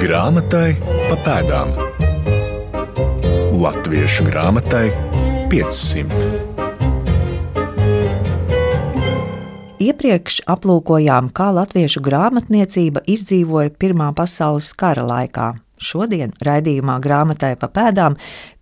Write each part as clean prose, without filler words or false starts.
Grāmatai pa pēdām. Latviešu grāmatai 500. Iepriekš aplūkojām, kā latviešu grāmatniecība izdzīvoja Pirmā pasaules kara laikā. Šodien raidījumā Grāmatai pa pēdām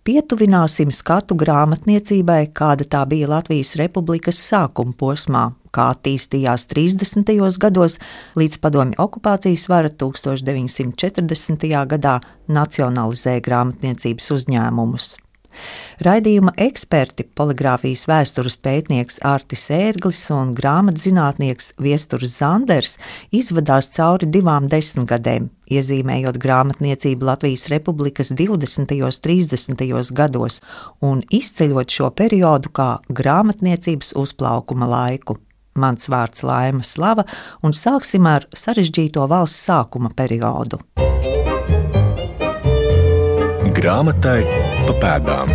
pietuvināsim skatu grāmatniecībai, kāda tā bija Latvijas Republikas sākuma posmā, kā attīstījās 30. gados līdz padomju okupācijas vara 1940. gadā nacionalizēja grāmatniecības uzņēmumus. Raidījuma eksperti, poligrāfijas vēstures pētnieks Artis Ērglis un grāmatzinātnieks Viesturs Zanders izvadās cauri 2 desmitgadēm, iezīmējot grāmatniecību Latvijas Republikas 20. un 30. gados un izceļot šo periodu kā grāmatniecības uzplaukuma laiku. Mans vārds Laima Slava, un sāksim ar sarežģīto valsts sākuma periodu. Grāmatai pa pēdām.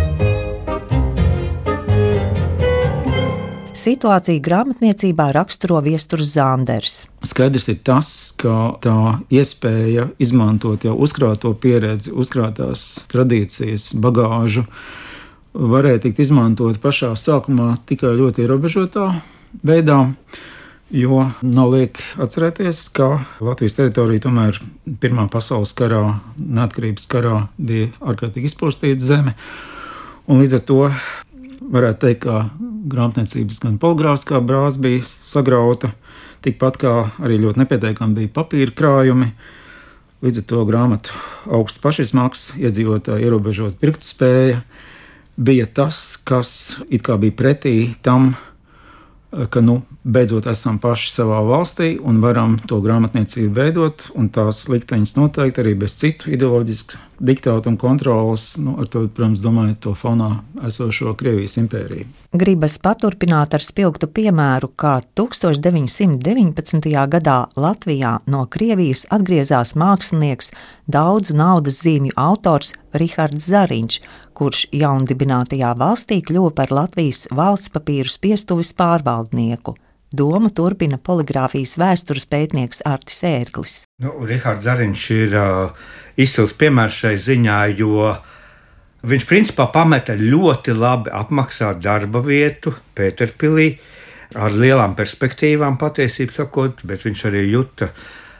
Situāciju grāmatniecībā raksturo Viesturs Zanders. Skaidrs ir tas, ka tā iespēja izmantot jau uzkrāto pieredzi, uzkrātās tradīcijas, bagāžu varēja tikt izmantot pašā sākumā tikai ļoti ierobežotā veidā, jo nav liek atcerēties, ka Latvijas teritorija tomēr Pirmā pasaules karā, neatkarības karā bija ārkārtīgi izpostīta zeme, un līdz ar to varētu teikt, ka grāmatniecības gan poligrāfiskā brāze bija sagrauta, tikpat kā arī ļoti nepieteikami bija papīra krājumi. Līdz ar to grāmatu augsts pašizmaksas, iedzīvotāju ierobežota pirktspēja bija tas, kas it kā bija pretī tam, ka beidzot esam paši savā valstī un varam to grāmatniecību veidot, un tās likteņas noteikti arī bez citu ideoloģisku diktātu un kontrolas, ar to, protams, domājot to fonā esošo Krievijas impēriju. Gribas paturpināt ar spilgtu piemēru, kā 1919. gadā Latvijā no Krievijas atgriezās mākslinieks, daudzu naudas zīmju autors Rihards Zariņš, kurš jaundibinātajā valstī kļuva par Latvijas valsts papīru spiestuves pārvaldnieku. Domu turpina poligrāfijas vēstures pētnieks Artis Ērglis. Rihards Zariņš ir izcils piemērs šai ziņā, jo viņš principā pameta ļoti labi apmaksātu darba vietu Pēterpilī ar lielām perspektīvām, patiesībā sakot, bet viņš arī juta,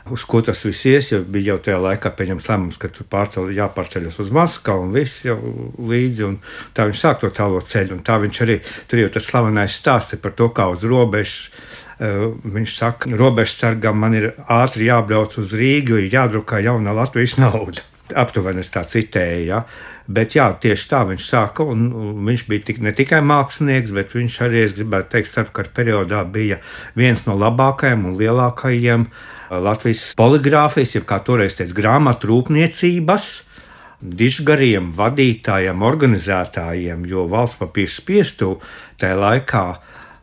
uz ko tas viss ies, jo bija jau tajā laikā pieņemts lēmums, ka tur jāpārceļas uz Maskavu un viss jau līdzi, un tā viņš sāk to tālo ceļu, un tā viņš arī, tur jau tas slavenais stāsts par to, kā uz robežas, viņš saka, robežsargam man ir ātri jābrauc uz Rīgu, jo jādrukā jaunā Latvijas nauda. Aptuveni es tā citēju, ja? Bet jā, tieši tā viņš sāka, un viņš bija ne tikai mākslinieks, bet viņš arī, es gribētu teikt, starpkara periodā bija viens no labākajiem un lielākajiem Latvijas poligrāfijas, jeb kā toreiz teica, grāmatu rūpniecības dižgariem, vadītājiem, organizētājiem, jo valsts papīra spiestuve tajā laikā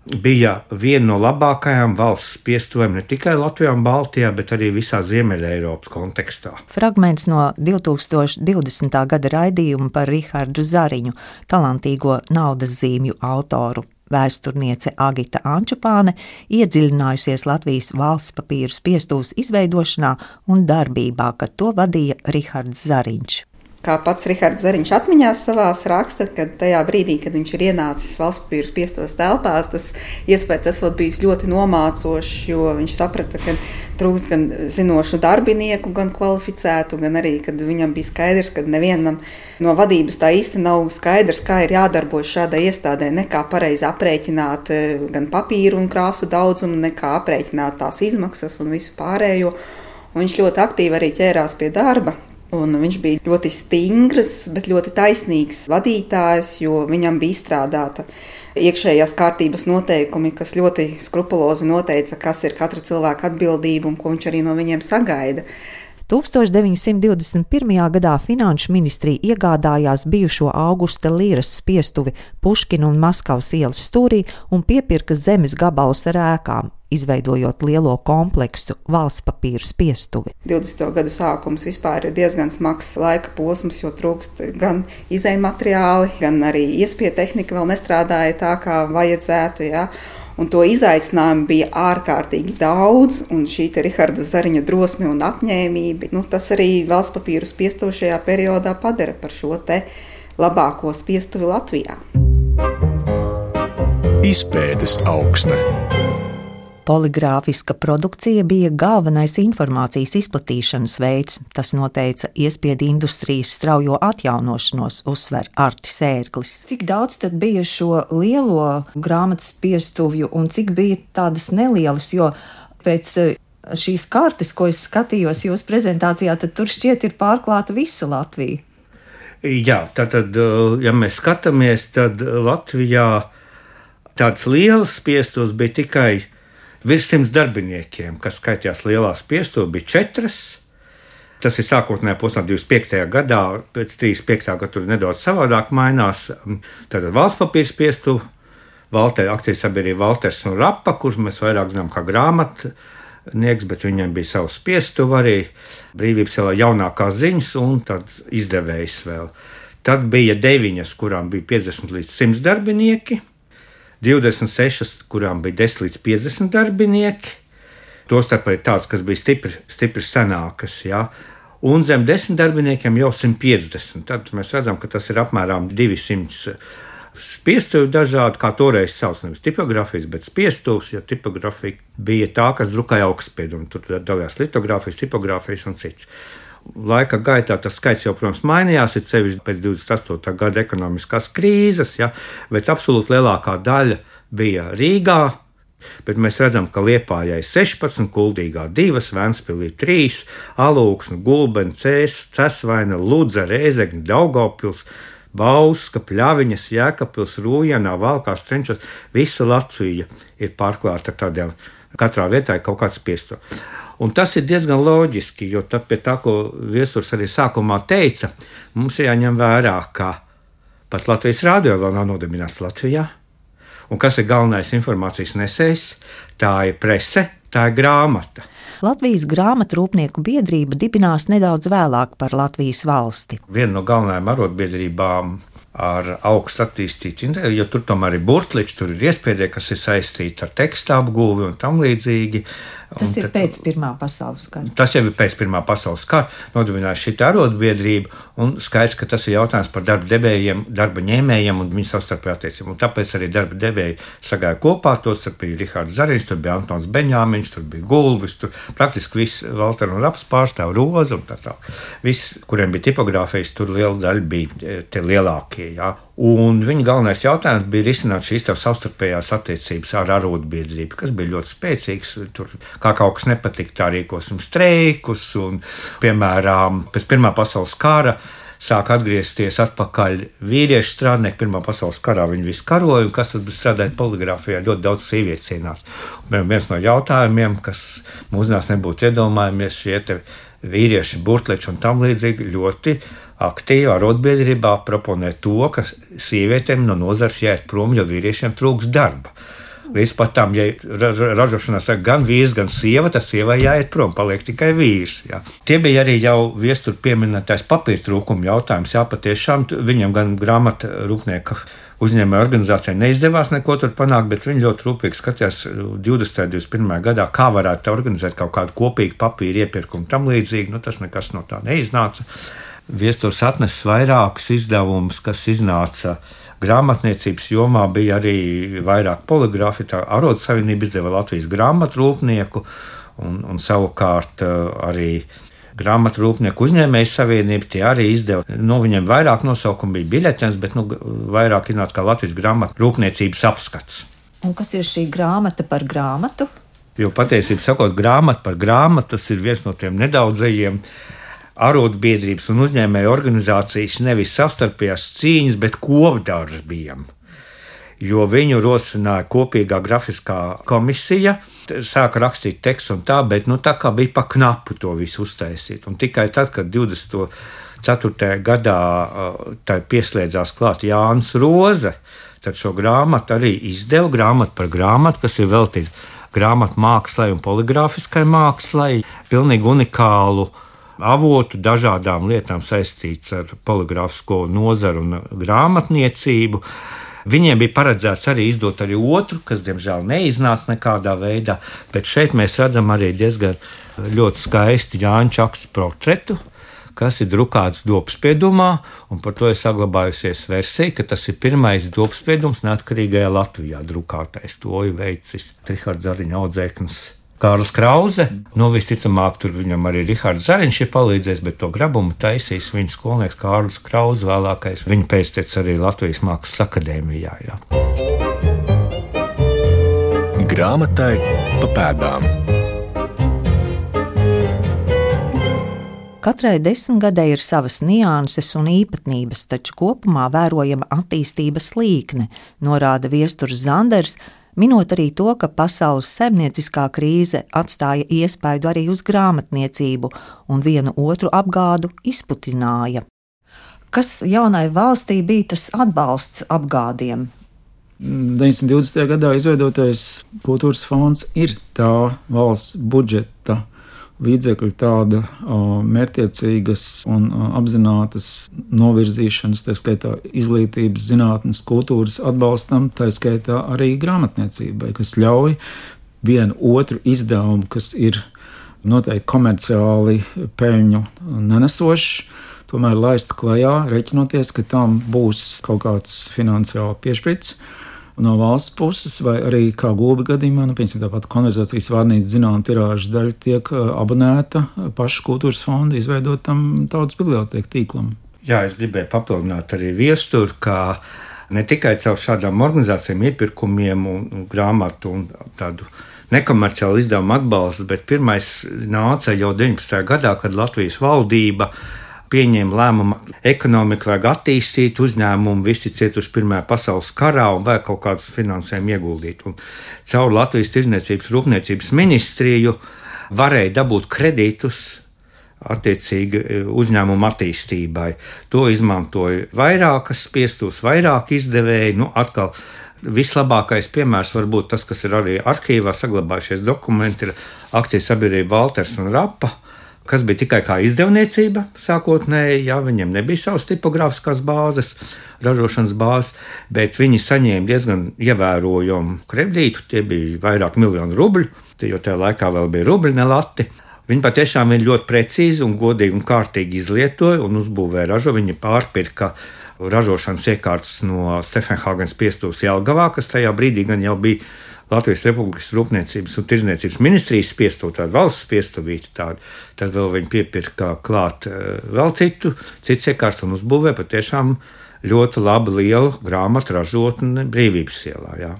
bija viena no labākajām valsts spiestuvēm ne tikai Latvijā un Baltijā, bet arī visā Ziemeļa Eiropas kontekstā. Fragments no 2020. gada raidījuma par Rihardu Zariņu, talantīgo naudas zīmju autoru. Vēsturniece Agita Ančupāne iedziļinājusies Latvijas valsts papīru spiestuves izveidošanā un darbībā, kad to vadīja Rihards Zariņš. Kā pats Rihards Zariņš atmiņās savās raksta, kad tajā brīdī, kad viņš ir ienācis valsts papīru spiestuves telpās, tas iespējas esot bijis ļoti nomācošs, jo viņš saprata, ka trūkst gan zinošu darbinieku, gan kvalificētu, gan arī, kad viņam bija skaidrs, ka nevienam no vadības tā īsti nav skaidrs, kā ir jādarbojas šādai iestādē, nekā pareizi aprēķināt gan papīru un krāsu daudzumu, nekā aprēķināt tās izmaksas un visu pārējo. Un viņš ļoti aktīvi arī ķērās pie darba. Un viņš bija ļoti stingrs, bet ļoti taisnīgs vadītājs, jo viņam bija izstrādāta iekšējās kārtības noteikumi, kas ļoti skrupulozi noteica, kas ir katra cilvēka atbildība un ko viņš arī no viņiem sagaida. 1921. gadā Finanšu ministrija iegādājās bijušo Augusta Līras spiestuvi Puškina un Maskavas ielas stūrī un piepirka zemes gabalus ar ēkām, izveidojot lielo kompleksu valsts papīru spiestuvi. 20. gadu sākums vispār ir diezgan smags laika posms, jo trūkst gan izejmateriāli, gan arī iespiedu tehnika vēl nestrādāja tā, kā vajadzētu, ja? Un to izaicinājumu bija ārkārtīgi daudz, un šī Riharda Zariņa drosme un apņēmība, tas arī valsts papīru spiestuvi šajā periodā padara par šo te labāko spiestuvi Latvijā. Izpētes augstne. Poligrāfiska produkcija bija galvenais informācijas izplatīšanas veids. Tas noteica iespiedu industrijas straujo atjaunošanos, uzsver Artis Ērglis. Cik daudz tad bija šo lielo grāmatas spiestuvju un cik bija tādas nelielas, jo pēc šīs kartes, ko es skatījos jūsu prezentācijā, tad tur šķiet ir pārklāta visa Latvija. Jā, tātad, ja mēs skatāmies, tad Latvijā tāds liels spiestos bija tikai virs 100 darbiniekiem, kas skaitījās lielā spiestuve, bija 4. Tas ir sākotnējā posmā 25. gadā, pēc 35. gada tur nedaudz savādāk mainās. Tātad valsts papīra spiestuve, akcijas sabiedrība Valters un Rapa, kurš mēs vairāk zinām kā grāmatnieks, bet viņiem bija savs spiestuve arī, Brīvības ielā jaunākās ziņas un tad izdevējs vēl. Tad bija 9, kurām bija 50 līdz 100 darbinieki, 26, kurām bija 10 līdz 50 darbinieki, tostarp arī tāds, kas bija stipri senākas, ja? Un zem 10 darbiniekiem jau 150. Tad mēs redzam, ka tas ir apmēram 200 spiestuvi dažādi, kā toreiz sauc, nevis tipogrāfijas, bet spiestuvs, jo tipogrāfija bija tā, kas drukāja augstspiedu, un tur dalījās litogrāfijas, tipogrāfijas un cits. Laika gaitā tas skaits jau, protams, mainījās, ir sevišķi pēc 28. gada ekonomiskās krīzes, ja, bet absolūti lielākā daļa bija Rīgā, bet mēs redzam, ka Liepājai 16, Kuldīgā 2, Ventspilī 3, Alūksne, Gulbene, Cesvaina, Ludza, Rēzekne, Daugavpils, Bauska, Pļaviņas, Jēkabpils, Rūjienā, Valkās, Trenčos, visa Latvija ir pārklāta ar tādiem, katrā vietā ir kaut kāds spiesto. Un tas ir diezgan loģiski, jo pie tā, ko viesurs arī sākumā teica, mums ir jāņem vērā, ka pat Latvijas rādio vēl nav nodibināts Latvijā. Un kas ir galvenais informācijas nesējs? Tā ir prese, tā ir grāmata. Latvijas grāmatrūpnieku biedrība dibinās nedaudz vēlāk par Latvijas valsti. Viena no galvenajām arotbiedrībām ar augstu attīstītu, jo tur tomēr ir burtliči, tur ir iespiedē, kas ir saistīti ar tekstu apgūvi un tam līdzīgi. Tas ir pēc Pirmā pasaules kara. Tas jau ir pēc Pirmā pasaules kara. Nodibināja šī arotbiedrība, un skaidrs, ka tas ir jautājums par darba devējiem, darba ņēmējiem un viņu savstarpēju attiecību. Un tāpēc arī darba devēji sagāja kopā, tostarp bija Rihards Zariņš, tur bija Antons Beņāmiņš, tur bija Gulbis, tur praktiski viss Valter un Raps pārstāv, Roza un tā tālāk. Viss, kuriem bija tipogrāfijas, tur liela daļa bija tie lielākie, jā. Un viņa galvenais jautājums bija risināt šīs savstarpējās attiecības ar arotbiedrību, kas bija ļoti spēcīgs. Tur, kā kaut kas nepatika, tā rīkosim streikus. Un, piemēram, pēc Pirmā pasaules kara sāk atgriezties atpakaļ vīriešu strādnieki. Pirmā pasaules karā viņi visi karoja, un kas tad strādāja poligrāfijā, ļoti daudz sievietes cienās. Viens no jautājumiem, kas mūsdienās nebūtu iedomājamies, šie vīrieši, burtleči un tam līdzīgi ļoti aktīvi arotbiedrībā proponē to, ka sievietēm no nozares jāiet prom, jo vīriešiem trūks darba. Līdz pat tam, ja ražošanā saka gan vīrs, gan sieva, tad sievai jāiet prom, paliek tikai vīrs. Jā. Tie bija arī jau viestur pieminētais papīra trūkuma jautājums. Jā, patiešām viņam gan grāmata rūpnieka uzņēmēja organizācijai neizdevās neko tur panākt, bet viņi ļoti rūpīgi skatījās 20. un 21. gadā, kā varētu organizēt kaut kādu kopīgu papīra iepirkumu tam līdzīgi. Tas nekas no tā neiznāca. Viesturs atnesis vairākus izdevumus, kas iznāca grāmatniecības jomā, bija arī vairāk poligrāfi. Tā Arotsavienība izdeva Latvijas grāmatrūpnieku un savukārt arī grāmatrūpnieku uzņēmēju savienība. Tie arī izdeva, viņiem vairāk nosaukumu bija biļetenes, bet vairāk iznāca kā Latvijas grāmatrūpniecības apskats. Un kas ir šī grāmata par grāmatu? Jo patiesībā sakot, grāmata par grāmatu, tas ir viens no tiem nedaudzajiem arotbiedrības un uzņēmēju organizācijas nevis savstarpējās cīņas, bet kopdarbiem. Jo viņu rosināja kopīgā grafiskā komisija, sāka rakstīt tekstu un tā, bet tā kā bija pa knapu to visu uztaisīt. Un tikai tad, kad 24. gadā tai pieslēdzās klāt Jānis Roze, tad šo grāmatu arī izdeva, grāmatu par grāmatu, kas ir veltīta grāmatu mākslai un poligrāfiskai mākslai, pilnīgi unikālu avotu dažādām lietām saistīts ar poligrāfisko nozaru un grāmatniecību. Viņiem bija paredzēts arī izdot arī otru, kas, diemžēl, neiznāca nekādā veidā, bet šeit mēs redzam arī diezgan ļoti skaisti Jāņa Čakas portretu, kas ir drukāts dobspiedumā, un par to ir saglabājusies versija, ka tas ir pirmais dobspiedums neatkarīgajā Latvijā drukātais. To ir veicis Rihards Zariņa audzēknis Kārlis Krause. Visticamāk, tur viņam arī Rihards Zariņš ir palīdzējis, bet to grabumu taisīs viņa skolnieks Kārlis Krause, vēlākais viņa pēctecis arī Latvijas Mākslas akadēmijā. Jā. Grāmatai pa pēdām. Katrai desmitgadē ir savas nianses un īpatnības, taču kopumā vērojama attīstības līkne, norāda Viesturs Zanders, minot arī to, ka pasaules saimnieciskā krīze atstāja iespaidu arī uz grāmatniecību un vienu otru apgādu izputināja. Kas jaunai valstī bija tas atbalsts apgādiem? 920. gadā izveidotais kultūras fonds ir tā valsts budžeta līdzekļu tāda mērķtiecīgas un apzinātas novirzīšanas, tā skaitā izglītības, zinātnes, kultūras atbalstam, tā skaitā arī grāmatniecībai, kas ļauj vienu otru izdevumu, kas ir noteikti komerciāli peļņu nenesošs, tomēr laist klajā, reķinoties, ka tam būs kaut kāds finansiāli piešprits no valsts puses, vai arī kā Gulbi gadījumā, piemēram, tāpat konverzācijas vārnīca zinām tirāžas daļa tiek abonēta paša kultūras fonda izveidotam tautas bibliotēku tīklam. Jā, es gribēju papildināt arī Viesturu, ka ne tikai caur šādām organizācijām, iepirkumiem un grāmatu un tādu nekomerciālu izdevumu atbalstu, bet pirmais nāca jau 19. gadā, kad Latvijas valdība pieņēma lēmumu, ekonomiku vajag attīstīt, uzņēmumu visi cietuši Pirmajā pasaules karā un vajag kaut kādus finansējumu ieguldīt. Un caur Latvijas Tirdzniecības rūpniecības ministriju varēja dabūt kredītus attiecīgi uzņēmumu attīstībai. To izmantoja vairākas spiestos, vairāk izdevēji. Atkal vislabākais piemērs var būt tas, kas ir arī arhīvā saglabājušies dokumenti, ir akcijas sabiedrība Valters un Rapa, kas bija tikai kā izdevniecība sākotnēji, viņiem nebija savas tipogrāfiskās bāzes, ražošanas bāzes, bet viņi saņēma diezgan ievērojumu kredītu, tie bija vairāk miljonu rubļu, jo tajā laikā vēl bija rubļi, ne lati. Viņi patiešām ir ļoti precīzi un godīgi un kārtīgi izlietoja un uzbūvēja ražu. Viņi pārpirka ražošanas iekārtas no Stefenhāgenes spiestuvas Jelgavā, kas tajā brīdī gan jau bija Latvijas Republikas Rūpniecības un Tirdzniecības ministrijas spiestuva, tāda valsts spiestuvīte. Tad vēl viņi piepirka klāt vēl citas iekārtas un uzbūvēja patiešām ļoti labu lielu grāmatu ražotni Brīvības ielā. Jā.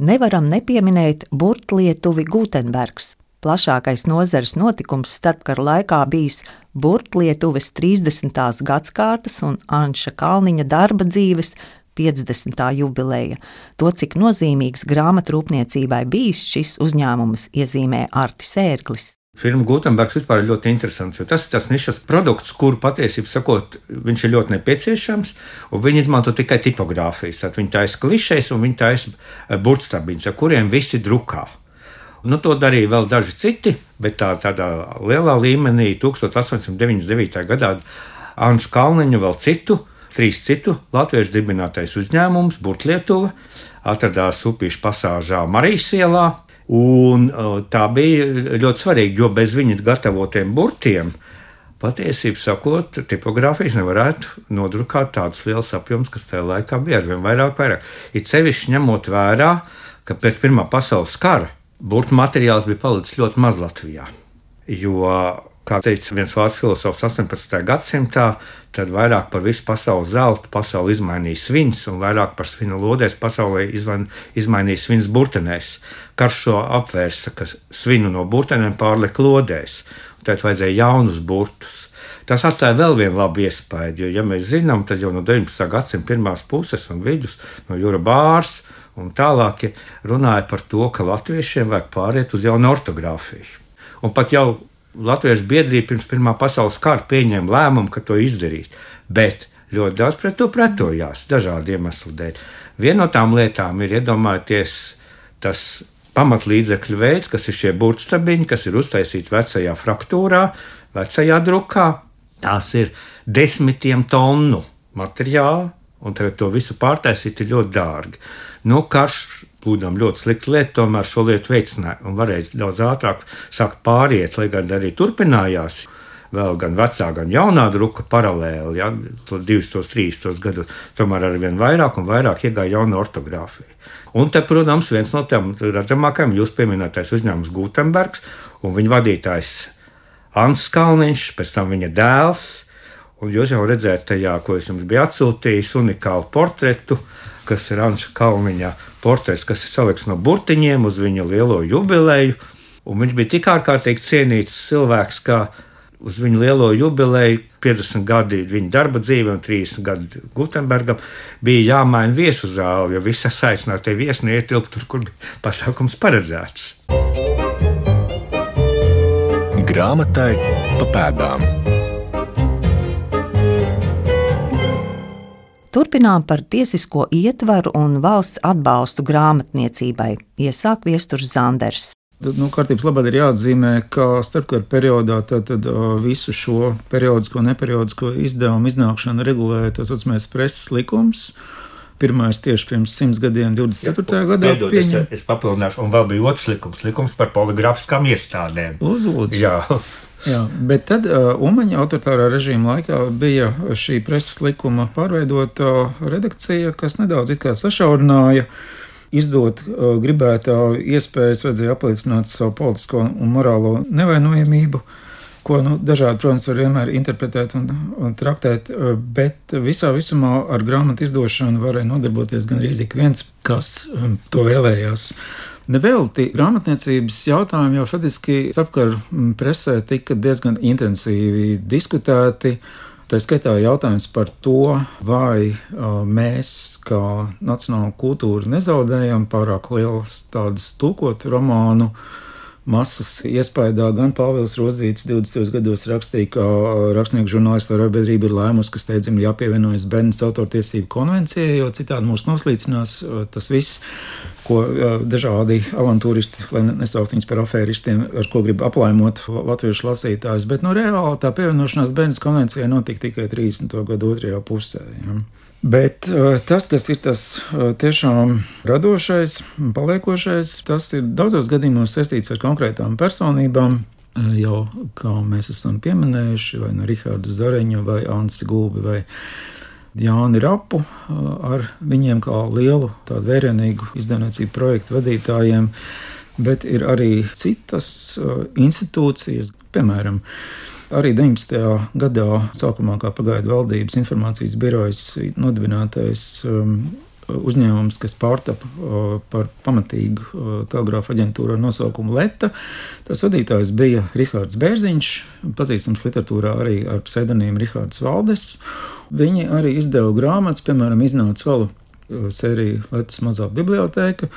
Nevaram nepieminēt burtlietuvi Gutenbergs. Plašākais nozares notikums starpkara laikā bijis burtlietuves 30. gadskārtas un Anša Kalniņa darba dzīves 50. jubileja. To, cik nozīmīgs grāmatrūpniecībai bijis šis uzņēmums, iezīmē Artis Ērglis. Firma Gutenbergs vispār ir ļoti interesants, jo tas ir tas nišas produkts, kuru patiesībā sakot, viņš ir ļoti nepieciešams, un viņi izmanto tikai tipogrāfijas. Tad viņi taisa klišejas un viņi taisa burtstabiņus, ar kuriem visi drukā. To darīja vēl daži citi, bet tādā lielā līmenī 1899. gadā Anšu Kalniņu vēl trīs citu latviešu dibinātais uzņēmums, Burtlietuva, atradās Upīšu pasāžā Marijas ielā. Un tā bija ļoti svarīga, jo bez viņu gatavotiem burtiem patiesībā sakot, tipogrāfijas nevarētu nodrukāt tādus lielus apjomus, kas tajā laikā bija arvien vairāk. It sevišķi ņemot vērā, ka pēc Pirmā pasaules kara burtu materiāls bija palicis ļoti maz Latvijā. Jo, kā teica viens vācu filozofs 18. gadsimtā, tad vairāk par visu pasaules zeltu pasauli izmainīja svins, un vairāk par svinu lodēs pasaulē izmainīja svins burtenēs. Karš šo apvērsa, ka svinu no burtenēm pārlika lodēs, un tad vajadzēja jaunus burtus. Tas atstāja vēl vienu labu iespaidu, jo, ja mēs zinām, tad jau no 19. gadsimta pirmās puses un vidus, no Jura Bārs un tālāk runāja par to, ka latviešiem vajag pāriet uz jaunu ortogrāfiju. Un pat jau Latviešu biedrība pirms Pirmā pasaules kara pieņēma lēmumu, ka to izdarīt, bet ļoti daudz pret to pretojās dažādu iemeslu dēļ. Viena no tām lietām ir iedomājieties tas pamatlīdzekļu veids, kas ir šie burtstabiņi, kas ir uztaisīti vecajā fraktūrā, vecajā drukā. Tās ir 10 tonu materiāla, un tagad to visu pārtaisīt ir ļoti dārgi. Karš, būdam ļoti slikta lieta, tomēr šo lietu veicināja un varēja daudz ātrāk sākt pāriet, lai gan arī turpinājās. Vēl gan vecā, gan jaunā druka paralēli, 230 gados, tomēr arvien vairāk un vairāk iegāja jauna ortogrāfija. Un te, protams, viens no tiem redzamākajiem jūs pieminētais uzņēmums Gutenbergs un viņa vadītājs Ants Kalniņš, pēc tam viņa dēls. Un jūs jau redzējāt tajā, ko es jums biju atsūtījis, unikālu portretu, kas ir Anša Kalniņa portrets, kas ir salikts no burtiņiem uz viņa lielo jubileju. Un viņš bija tik ārkārtīgi cienīts cilvēks, ka uz viņa lielo jubileju 50 gadi viņa darba dzīve un 30 gadi Gutenbergam bija jāmaina viesu zāle, jo visas aicinātie viesi neietilpt tur, kur bija pasākums paredzēts. Grāmatai pa pēdām. Turpinām par tiesisko ietvaru un valsts atbalstu grāmatniecībai, iesāk Viesturs Zanders. Kārtības labāk ir jāatzīmē, ka starpkara periodā tad visu šo periodisko un neperiodisko izdevumu iznākšanu regulēja tas saucamais preses likums. Pirmais tieši pirms 100 gadiem, 24. gadā pieņem. Es papildināšu, un vēl bija otrs likums par poligrāfiskām iestādēm. Uzlūdzu. Jā, bet tad Umaņa autoritārā režīma laikā bija šī preses likuma pārveidota redakcija, kas nedaudz it kā sašaurināja. Izdot gribētā iespējas vajadzēja apliecināt savu politisko un morālo nevainojamību, ko dažādi, protams, var vienmēr interpretēt un traktēt, bet visā visumā ar grāmatu izdošanu varēja nodarboties gan arī ik viens, kas to vēlējās. Nevelti grāmatniecības jautājumi jau faktiski starpkara presē tika diezgan intensīvi diskutēti. Tā skaitā jautājums par to, vai mēs kā nacionāla kultūra nezaudējam pārāk lielas tādas tulkotu romānu masas iespaidā. Gan Pāvils Rodzītis 20. gados rakstīja, ka rakstnieku žurnālistu arotbiedrība ir lēmusi, ka steidzami jāpievienojas Bernas autortiesību konvencijai, jo citādi mūs noslīcinās tas viss, ko dažādi avantūristi, lai nesaukt viņus par afēristiem, ar ko grib aplaimot latviešu lasītājus, bet reāli tā pievienošanās Bernas konvencijai notika tikai 30. gadu otrajā pusē. Ja. Bet tas, kas ir tas tiešām radošais, paliekošais, tas ir daudzos gadījumos saistīts ar konkrētām personībām, jau kā mēs esam pieminējuši, vai no Rihardu Zareņu, vai Ansi Gulbi, vai Jāni Rapu, ar viņiem kā lielu tādu vērienīgu izdevniecību projektu vadītājiem, bet ir arī citas institūcijas, piemēram, arī 19. gadā sākumā kā pagaidu valdības informācijas birojas nodibinātais uzņēmums, kas pārtapa par pamatīgu telegrāfa aģentūru ar nosaukumu Leta. Tas vadītājs bija Rihards Bērziņš, pazīstams literatūrā arī ar pseidonīmu Rihards Valdes. Viņi arī izdeva grāmatas, piemēram, iznāca vēl sērija Letas mazā bibliotēka.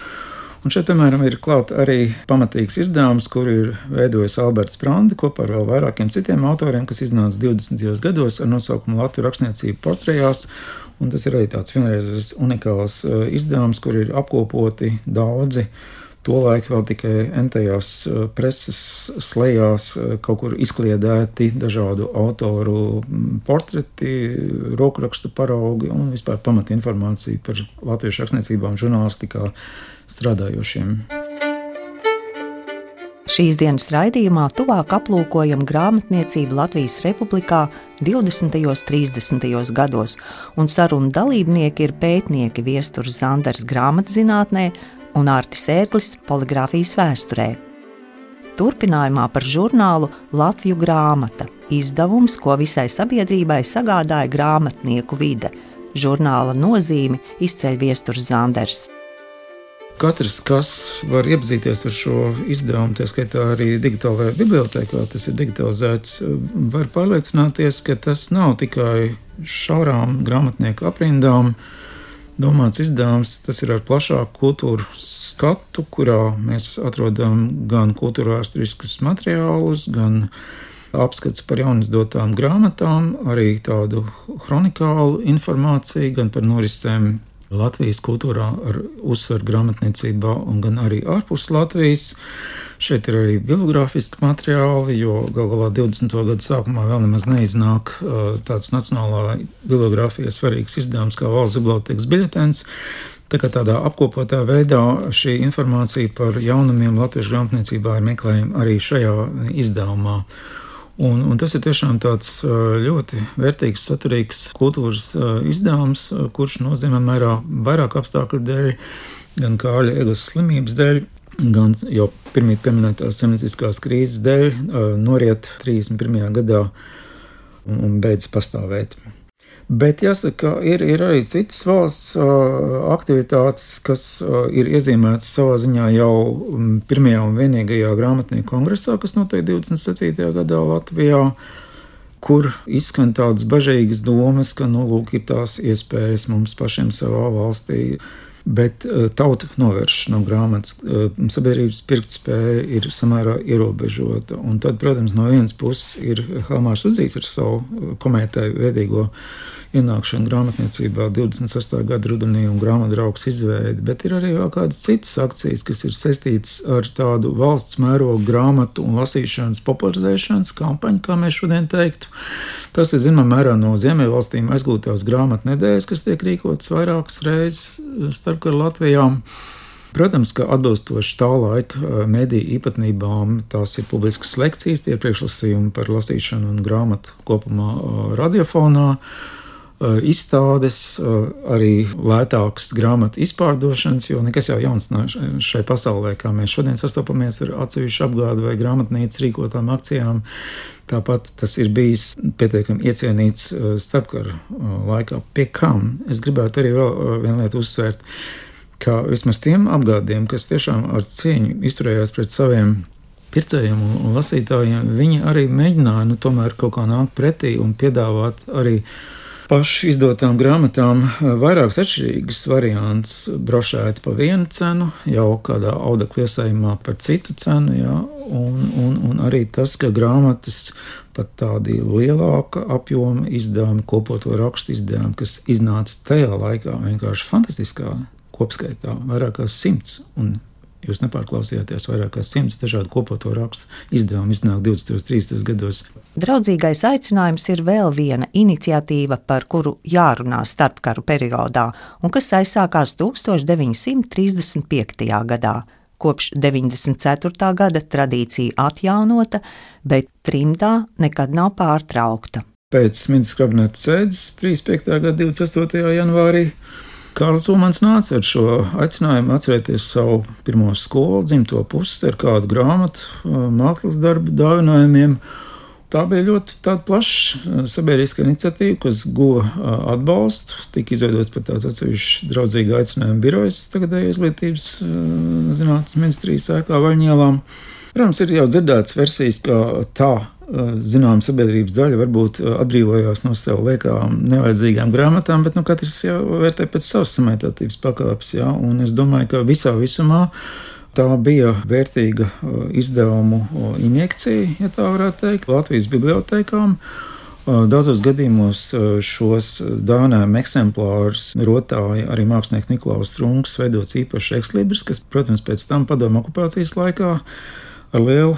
Un šeit, piemēram, ir klāt arī pamatīgs izdevums, kur ir veidojis Alberts Sprandi kopā ar vēl vairākiem citiem autoriem, kas iznāca 20. gados ar nosaukumu Latviju rakstniecību portrejās. Un tas ir arī tāds vienreizes unikāls izdevums, kur ir apkopoti daudzi tolaik vēl tikai entajās preses slejās kaut kur izkliedēti dažādu autoru portreti, rokrakstu paraugi un vispār pamatinformācija par latviešu rakstniecībā un žurnālistikā strādājošiem. Šīs dienas raidījumā tuvāk aplūkojam grāmatniecību Latvijas Republikā 20. un 30. gados, un sarunu dalībnieki ir pētnieki Viesturs Zanders grāmatzinātnē un Artis Ērglis poligrāfijas vēsturē. Turpinājumā par žurnālu Latviju grāmata, izdevums, ko visai sabiedrībai sagādāja grāmatnieku vide. Žurnāla nozīmi izceļ Viesturs Zanders. Katrs, kas var iepazīties ar šo izdevumu, tā skaitā arī digitālajā bibliotēkā, tas ir digitalizēts, var pārliecināties, ka tas nav tikai šaurām grāmatnieku aprindām domāts izdevums. Tas ir ar plašāku kultūru skatu, kurā mēs atrodam gan kultūrvēsturiskus materiālus, gan apskats par jaunizdotām grāmatām, arī tādu kronikālu informāciju, gan par norisēm Latvijas kultūrā ar uzsvaru grāmatniecībā un gan arī ārpus Latvijas. Šeit ir arī bibliogrāfiski materiāli, jo galu galā 20. gadu sākumā vēl nemaz neiznāk tāds nacionālā bibliogrāfija svarīgs izdevums kā Valsts bibliotēkas biļetens. Tā kā tādā apkopotā veidā šī informācija par jaunumiem latviešu grāmatniecībā ir meklējama arī šajā izdevumā. Un tas ir tiešām tāds ļoti vērtīgs, saturīgs kultūras izdevums, kurš nozīmē mērā vairāk apstākļu dēļ, gan Kārļa Eglas slimības dēļ, gan jau pirmīt pieminētās saimnieciskās krīzes dēļ, noriet 31. gadā un beidz pastāvēt. Bet jāsaka, ir arī citas valsts aktivitātes, kas ir iezīmētas savā ziņā jau pirmajā un vienīgajā grāmatnieku kongresā, kas notiek 27. gadā Latvijā, kur izskan tādas bažīgas domas, ka, lūk, ir tās iespējas mums pašiem savā valstī. Bet tauta novērš no grāmatas, sabiedrības pirktspēja ir samērā ierobežota. Un tad, protams, no vienas puses ir Helmārs Udzīs ar savu komētāju veidīgo ienākšanu grāmatniecībā 26. gada rudenī un grāmatdraugs izveidi, bet ir arī vēl kādas citas akcijas, kas ir saistītas ar tādu valsts mērogu grāmatu un lasīšanas popularizēšanas kampaņu, kā mēs šodien teiktu. Tas ir zināmā mērā no Ziemeļvalstīm aizgūtās grāmatnedēļas, kas tiek rīkotas vairākas reizes starpkara Latvijā. Protams, ka atbilstoši tā laika mediju īpatnībām tās ir publiskas lekcijas, tie ir priekšlasījumi par lasīšanu un grāmatu kopumā radiofonā, izstādes, arī lētākas grāmatu izpārdošanas, jo nekas jau jauns šai pasaulē, kā mēs šodien sastopamies ar atsevišķu apgādu vai grāmatnīcas rīkotām akcijām. Tāpat tas ir bijis pietiekami iecienīts starpkara laikā. Pie kam? Es gribētu arī vēl vienu lietu uzsvērt, ka vismaz tiem apgādiem, kas tiešām ar cieņu izturējās pret saviem pircējiem un lasītājiem, viņi arī mēģināja tomēr kaut kā nākt pretī un piedāvāt arī pašu izdotām grāmatām vairākus atšķirīgus variantus, brošēti pa vienu cenu, jau kādā audekla iesējumā par citu cenu, jā, un arī tas, ka grāmatas pat tādi lielāka apjoma izdevumi, kopoto rakstu izdevumi, kas iznāca tajā laikā vienkārši fantastiskā kopskaitā, vairākās 100, un jūs nepārklausījāties, vairākās 100 dažādu kopoto rakstu izdevumu iznāk 20-30 gados. Draudzīgais aicinājums ir vēl viena iniciatīva, par kuru jārunā starpkaru periodā, un kas aizsākās 1935. gadā. Kopš 94. gada tradīcija atjaunota, bet trimdā nekad nav pārtraukta. Pēc ministra kabineta sēdes 35. gada 28. janvārī Kārlis Ulmans nāca ar šo aicinājumu atcerēties savu pirmo skolu, dzimto pusi ar kādu grāmatu, mākslas darbu dāvinājumiem. Tā bija ļoti tāda plaša sabiedriska iniciatīva, kas guva atbalstu. Tika izveidots pat tāds atsevišķs draudzīga aicinājuma birojs tagadējo izglītības zinātnes ministrijas ēkā Vaļņielā. Protams, ir jau dzirdētas versijas, ka tā zinām sabiedrības daļa varbūt atbrīvojās no sev liekām nevajadzīgām grāmatām, bet katrs jau vērtē pēc savas samērtātības pakāpes, jā, un es domāju, ka visā visumā tā bija vērtīga izdevumu injekcija, ja tā varētu teikt, Latvijas bibliotēkām. Daudzos gadījumos šos dāvinājumu eksemplārus rotāja arī mākslinieks Niklaus Strunks, veidots īpašs ekslibris, kas, protams, pēc tam padomju okupācijas laikā ar lielu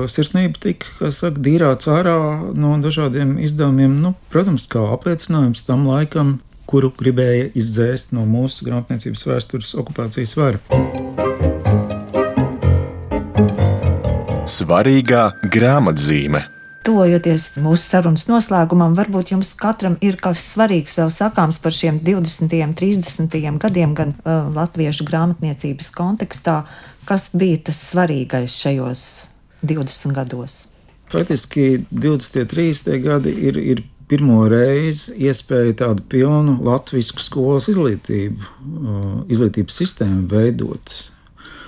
sirsnību tika, dīrāts ārā no dažādiem izdevumiem, protams, kā apliecinājums tam laikam, kuru gribēja izdzēst no mūsu grāmatniecības vēstures okupācijas vara. Svarīgā grāmatzīme. Tuvojoties mūsu sarunas noslēgumam, varbūt jums katram ir kas svarīgs vēl sakāms par šiem 20. un 30. gadiem, gan latviešu grāmatniecības kontekstā. Kas bija tas svarīgais šajos 20 gados? Faktiski 20. un 30. gadi ir pirmo reizi iespēja tādu pilnu latvisku skolas izglītības sistēmu veidot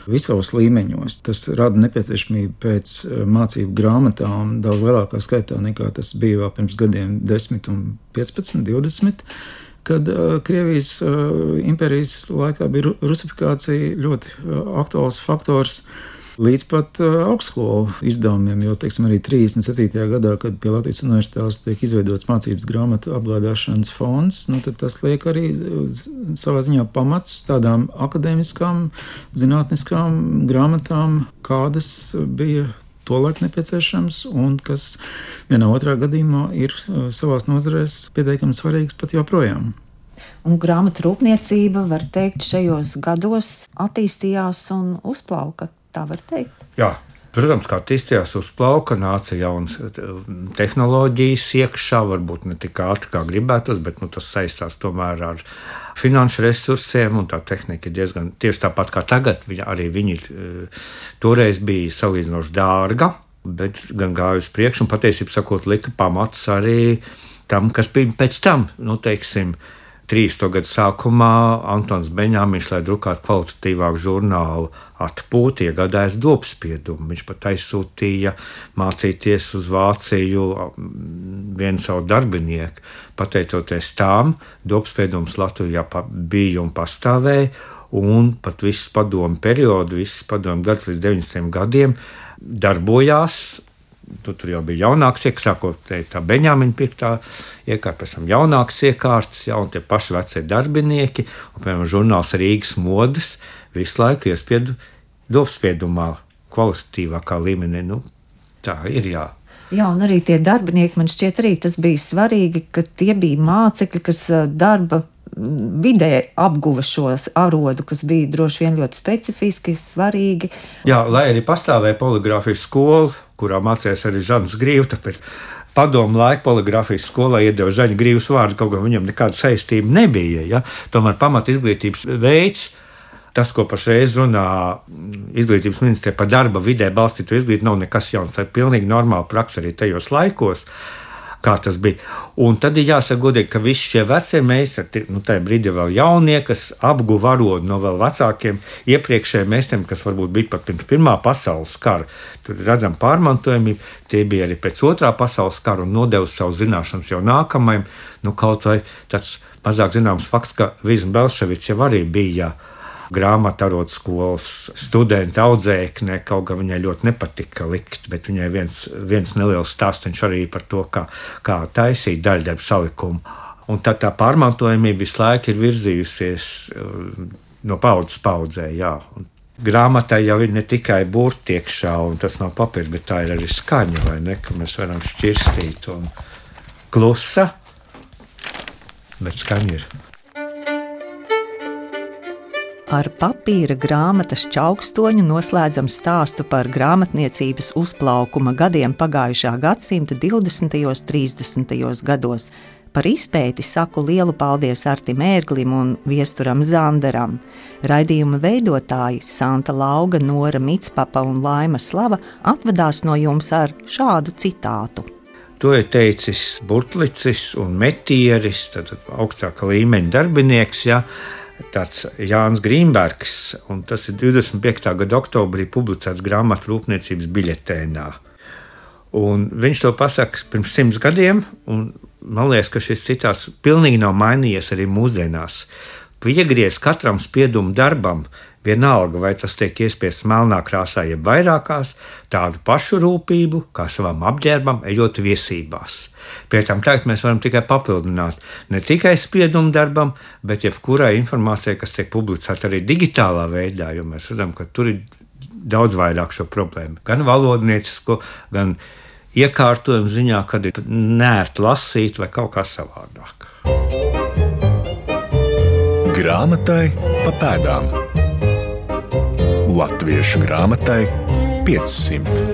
visos līmeņos. Tas rada nepieciešamību pēc mācību grāmatām daudz lielākā skaitā nekā tas bija vēl pirms gadiem 10 un 15, 20, kad Krievijas impērijas laikā bija rusifikācija ļoti aktuāls faktors. līdz pat augstskolu izdevumiem, jo, teiksim, arī 37. gadā, kad pie Latvijas universitātes tiek izveidots mācības grāmatu apgādāšanas fonds, tad tas liek arī savā ziņā pamats tādām akadēmiskām, zinātniskām grāmatām, kādas bija tolaik nepieciešams un kas vienā otrā gadījumā ir savās nozarēs pietiekami svarīgs pat joprojām. Un grāmatu rūpniecība, var teikt, šajos gados attīstījās un uzplauka. Tā var teikt. Jā, protams, kā attīstījās uzplauka, nāca jaunas tehnoloģijas iekšā, varbūt ne tik ātri, kā gribētos, bet tas saistās tomēr ar finanšu resursiem, un tā tehnika ir diezgan tieši tāpat kā tagad. Arī viņi toreiz bija salīdzinoši dārga, bet gan gāja uz priekšu, un patiesībā sakot, lika pamats arī tam, kas bija pēc tam, teiksim, 30. gadu sākumā Antons Beņāmiņš, lai drukātu kvalitatīvāku žurnālu Atpūta, iegādājās dobspiedumu. Viņš pat aizsūtīja mācīties uz Vāciju vienu savu darbinieku. Pateicoties tām, dobspiedums Latvijā bija un pastāvēja, un pat visu padomu periodu, visas padomu gadus līdz 90. gadiem darbojās. Tur jau bija jaunāks iekārts, sākot tā Beņāmiņa pirktā iekārta, pēc tam jaunāks iekārts, un tie paši vecie darbinieki, un, piemēram, žurnāls Rīgas modes visu laiku iespiedu dobspiedumā kvalitatīvākā līmenī. Tā ir, jā. Jā, un arī tie darbinieki, man šķiet arī tas bija svarīgi, ka tie bija mācekļi, kas darba vidē apguva šos arodu, kas bija droši vien ļoti specifiski, svarīgi. Jā, lai arī pastāvēja poligrāfijas skola, kurā mācījās arī Žants Grīvs, tāpēc padomu laiku poligrāfijas skolā iedeva Žaņa Grīvs vārdu, kaut gan viņam nekāda saistība nebija. Ja? Tomēr pamat izglītības veids, tas, ko pašreiz runā izglītības ministrija par darba vidē balstītu izglītību, nav nekas jauns. Tā ir pilnīgi normāla praksa arī tajos laikos, kā tas bija. Un tad ir jāsaka godīgi, ka visi šie vecie meistari, tajā brīdī vēl jaunie, kas apguva arodu no vēl vecākiem iepriekšējiem meistariem, kas varbūt bija pat pirms Pirmā pasaules kara. Tur redzam pārmantojamību, tie bija arī pēc Otrā pasaules kara un nodeva savu zināšanas jau nākamajam. Kaut vai tāds mazāk zināms fakts, ka Vizma Belševics jau arī bija grāmatarodu skolas studenta audzēkne, kaut gan viņai ļoti nepatika likt, bet viņai viens neliels stāstiņš arī par to, kā taisīt daļdarbu salikumu. Un tad tā pārmantojamība visu laiku ir virzījusies no paudzes paudzē, jā. Un grāmatai jau ir ne tikai burti iekšā, un tas nav papīrs, bet tā ir arī skaņa, vai ne, ka mēs varam šķirstīt un klusa, bet skaņa ir. Ar papīra grāmatas čaukstoņu noslēdzam stāstu par grāmatniecības uzplaukuma gadiem pagājušā gadsimta 20. un 30. gados. Par izpēti saku lielu paldies Artim Ērglim un Viesturam Zanderam. Raidījuma veidotāji Santa Lauga, Nora Mitspapa un Laima Slava atvadās no jums ar šādu citātu. To ir teicis Burtlicis un Metieris, tad augstāka līmeņa darbinieks, ja. Tāds Jānis Grīnbergs, un tas ir 25. gada oktobrī publicēts grāmatu rūpniecības biļetēnā. Un viņš to pasaka pirms 100 gadiem, un man liekas, ka šis citāts pilnīgi nav mainījies arī mūsdienās. Piegriez katram spiedumu darbam, vienalga, vai tas tiek iespiests melnā krāsā, jeb vairākās, tādu pašu rūpību, kā savam apģērbam, ejot viesībās. Pie tam tagad mēs varam tikai papildināt ne tikai spiedumu darbam, bet jebkurai informācijai, kas tiek publicēta arī digitālā veidā, jo mēs redzam, ka tur ir daudz vairāk šo problēmu. Gan valodniecisko, gan iekārtojumu ziņā, kad ir nērti lasīt vai kaut kā savādāk. Grāmatai pa pēdām. Latviešu grāmatai 500.